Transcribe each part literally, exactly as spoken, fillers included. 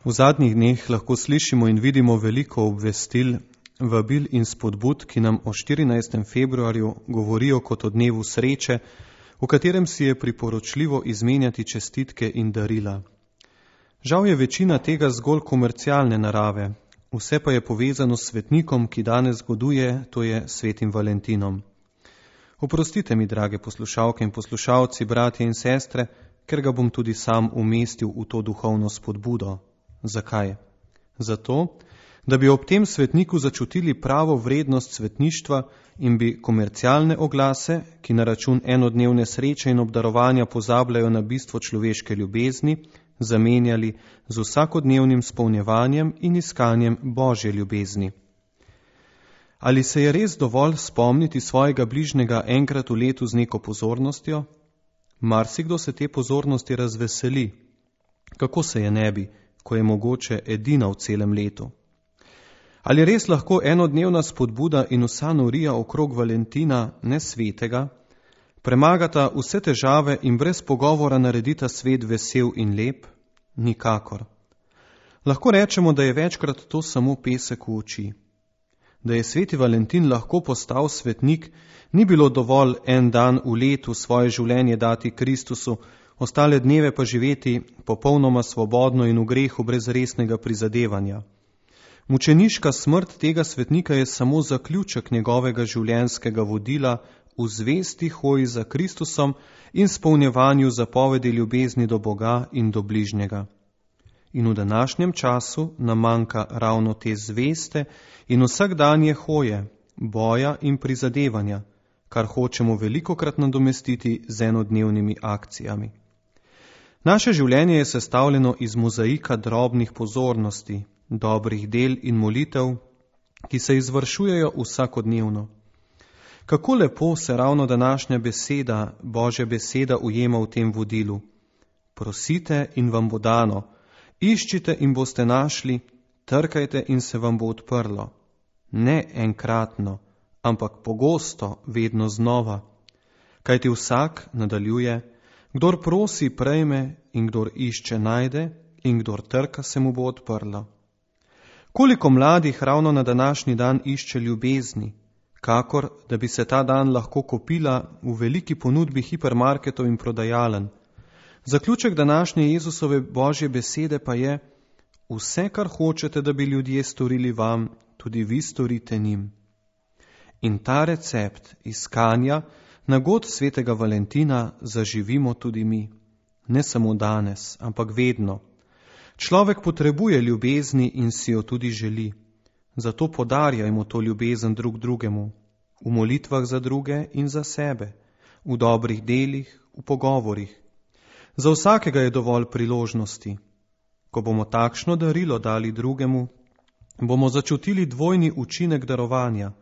V zadnjih dneh lahko slišimo in vidimo veliko obvestil, vabil in spodbud, ki nam o štirinajstem februarju govorijo kot o dnevu sreče, v katerem si je priporočljivo izmenjati čestitke in darila. Žal je večina tega zgolj komercialne narave, vse pa je povezano s svetnikom, ki danes goduje, to je svetim Valentinom. Oprostite mi, drage poslušalke in poslušalci, bratje in sestre, ker ga bom tudi sam umestil v to duhovno spodbudo. Zakaj? Zato, da bi ob tem svetniku začutili pravo vrednost svetništva in bi komercialne oglase, ki na račun enodnevne sreče in obdarovanja pozabljajo na bistvo človeške ljubezni, zamenjali z vsakodnevnim spolnjevanjem in iskanjem Božje ljubezni. Ali se je res dovolj spomniti svojega bližnjega enkrat v letu z neko pozornostjo? Marsikdo se te pozornosti razveseli. Kako se je ne bi, ko je mogoče edina v celem letu? Ali res lahko enodnevna spodbuda in vsa norija okrog Valentina, ne svetega, premagata vse težave in brez pogovora naredita svet vesel in lep? Nikakor. Lahko rečemo, da je večkrat to samo pesek v oči. Da je sveti Valentin lahko postal svetnik, ni bilo dovolj en dan v letu svoje življenje dati Kristusu, ostale dneve pa živeti popolnoma svobodno in v grehu brez resnega prizadevanja. Mučeniška smrt tega svetnika je samo zaključek njegovega življenjskega vodila v zvesti hoji za Kristusom in spolnjevanju zapovedi ljubezni do Boga in do bližnjega. In v današnjem času nam manjka ravno te zveste in vsakdanje hoje, boja in prizadevanja, kar hočemo velikokrat nadomestiti z enodnevnimi akcijami. Naše življenje je sestavljeno iz mozaika drobnih pozornosti, dobrih del in molitev, ki se izvršujejo vsakodnevno. Kako lepo se ravno današnja beseda, Božja beseda, ujema v tem vodilu. Prosite in vam bo dano, iščite in boste našli, trkajte in se vam bo odprlo. Ne enkratno, ampak pogosto, vedno znova. Kajti vsak, nadaljuje, kdor prosi, prejme, in kdor išče, najde, in kdor trka, se mu bo odprlo. Koliko mladih ravno na današnji dan išče ljubezni, kakor da bi se ta dan lahko kupila v veliki ponudbi hipermarketov in prodajalen. Zaključek današnje Jezusove Božje besede pa je: vse, kar hočete, da bi ljudje storili vam, tudi vi storite njim. In ta recept iskanja nagod svetega Valentina zaživimo tudi mi. Ne samo danes, ampak vedno. Človek potrebuje ljubezni in si jo tudi želi. Zato podarjajmo to ljubezen drug drugemu, v molitvah za druge in za sebe, v dobrih delih, v pogovorih. Za vsakega je dovolj priložnosti. Ko bomo takšno darilo dali drugemu, bomo začutili dvojni učinek darovanja,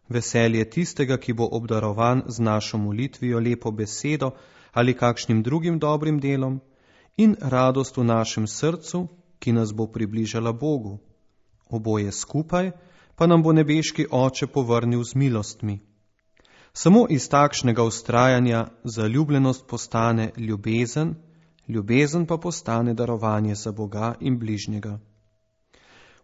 veselje tistega, ki bo obdarovan z našo molitvijo, lepo besedo ali kakšnim drugim dobrim delom, in radost v našem srcu, ki nas bo približala Bogu. Oboje skupaj pa nam bo nebeški Oče povrnil z milostmi. Samo iz takšnega vztrajanja zaljubljenost postane ljubezen, ljubezen pa postane darovanje za Boga in bližnjega.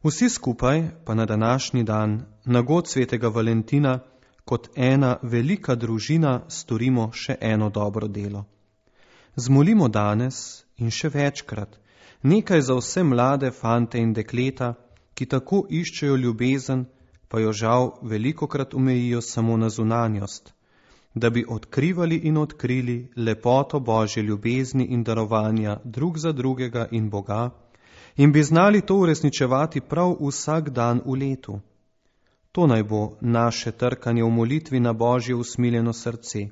Vsi skupaj pa na današnji dan, na god svetega Valentina, kot ena velika družina storimo še eno dobro delo. Zmolimo danes in še večkrat nekaj za vse mlade fante in dekleta, ki tako iščejo ljubezen, pa jo žal velikokrat omejijo samo na zunanjost, da bi odkrivali in odkrili lepoto Božje ljubezni in darovanja drug za drugega in Boga in bi znali to uresničevati prav vsak dan v letu. To naj bo naše trkanje v molitvi na Božje usmiljeno srce.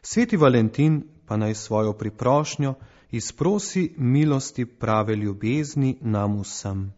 Sveti Valentin pa naj svojo priprošnjo izprosi milosti prave ljubezni nam vsem.